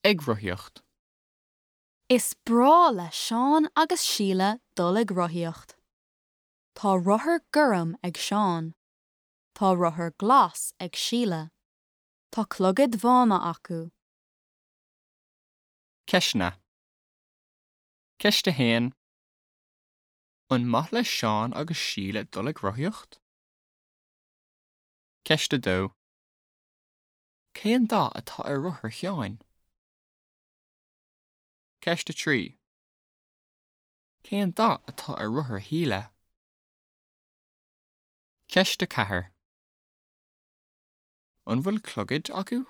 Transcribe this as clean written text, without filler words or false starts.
Ag rothaíocht. Is breá le Seán agus Síle dul ag rothaíocht. Tá rothar gorm ag Seán. Tá rothar glas ag Síle. Tá clogaid bhána acu. Ceisteanna. Ceist 1. An maith le Seán agus Síle dul ag rothaíocht? Ceist 2. Cén dath atá ar rothar Sheáin? Ceist 3. Cén dath atá ar rothar Shíle? Ceist 4. An bhfuil clogaid acu?